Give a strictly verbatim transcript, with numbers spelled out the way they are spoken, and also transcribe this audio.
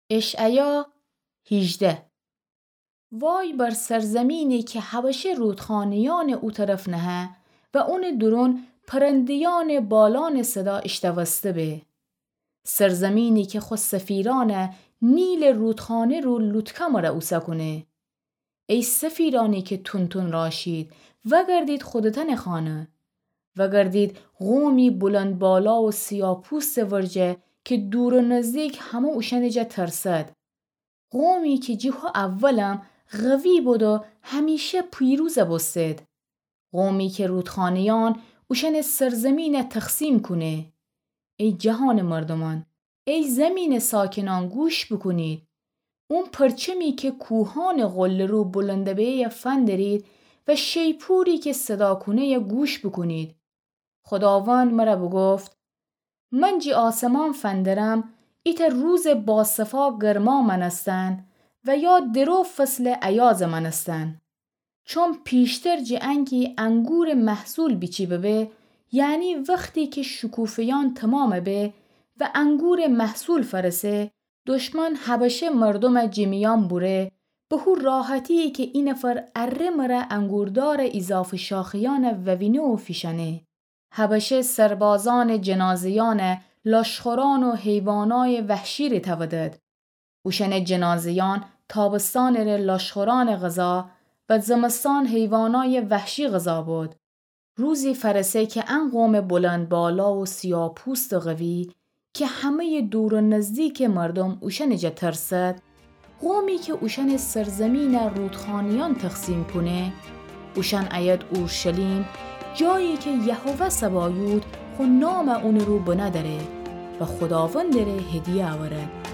اشعیا هیجده. وای بر سرزمینی که حبشه رودخانه‌یأنٚ او طرف نهه و اونٚ دورون پرنده‌یأنٚ بالأنٚ صدا ایشتوسته به. سرزمینی که خو سفیرأنَ نیلٚ رودخانه رو لوتکه مره اوسه کونه. ای سفیرأنی که تون‌تون راشید، وأگردید خودتأنٚ خانه. وأگردید قومی بلندبالا و سیاپوستٚ ورجه که دور و نزدیک همه اوشأنٚ جا ترسد. قومی که جٚه هو اولم قوی بود و همیشه پیروز بوستید. قومی که رودخانه‌یأن اوشأنٚ سرزمینَ تقسیم کونه. ای جهانٚ مردومأن، ای زمینٚ ساکنأن، گوش بوکونید. اون پرچمی که کوهأنٚ قله‌رو بلند به‌یه فندرید و شیپوری که صدا کونه‌یه گوش بوکونید. خوداوند مره بوگفت: من جٚه آسمان فندرم، ایتأ روزٚ باصفا گرما مأنستن و یا درو فصلٚ ایازَ مأنستن. چون پیشتر جٚه انکی انگورٚ محصول بیچی ببه، یعنی وختی که شکوفه‌یأن تومام به و انگورٚ محصول فأرسه، دشمن حبشه مردومَ جٚه میأن بوره، به هو راحتی که اینفر اره مره انگوردارٚ ایضافه شاخه‌یأنَ ووینه و فیشأنه. حبشه سربازأنٚ جنازه‌یأنَ لاشخورأن و حیوانأیٚ وحشی ره تأودد. اوشأنٚ جنازه‌یأن تابستانٚ ره لاشخورأنٚ غذا و زمستان حیوانأیٚ وحشی غذا بود. روزی فأرسه که ان قومٚ بلندبالا و سیاپوستٚ قوی که همه‌یٚ دور و نزدیکٚ مردوم اوشأنٚ جا ترسد، قومی که اوشأنٚ سرزمینَ رودخانه‌یأن تقسیم کونه، اوشأن ایید اورشلیم، جایی که یهوه سبایوت خو نامَ اونٚ رو بنه دأره و خوداوندٚ ره هدیه اورد.